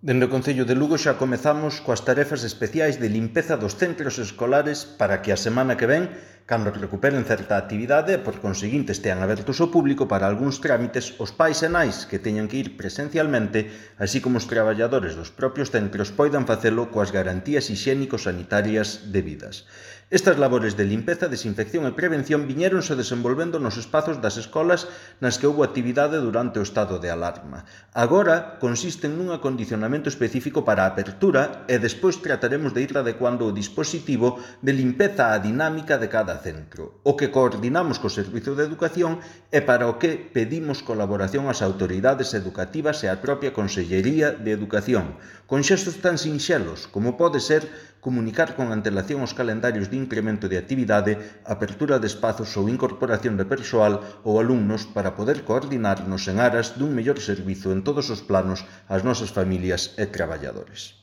Dende o Concello de Lugo xa comezamos coas tarefas especiais de limpeza dos centros escolares para que a semana que ven, cando recuperen certa actividade e por conseguinte estean abertos ao público para algúns trámites, os pais e nais que teñan que ir presencialmente, así como os traballadores dos propios centros, poidan facelo coas garantías hixiénico-sanitarias debidas. Estas labores de limpeza, desinfección e prevención viñéronse desenvolvendo nos espazos das escolas nas que houbo actividade durante o estado de alarma. Agora consisten nun acondicionamento específico para a apertura e despois trataremos de ir adecuando o dispositivo de limpeza á dinámica de cada centro, o que coordinamos co Servizo de Educación e para o que pedimos colaboración ás autoridades educativas e á propia Consellería de Educación, con xestos tan sinxelos como pode ser comunicar con antelación os calendarios de incremento de actividade, apertura de espazos ou incorporación de persoal ou alumnos para poder coordinarnos en aras dun mellor servizo en todos os planos ás nosas familias e traballadores.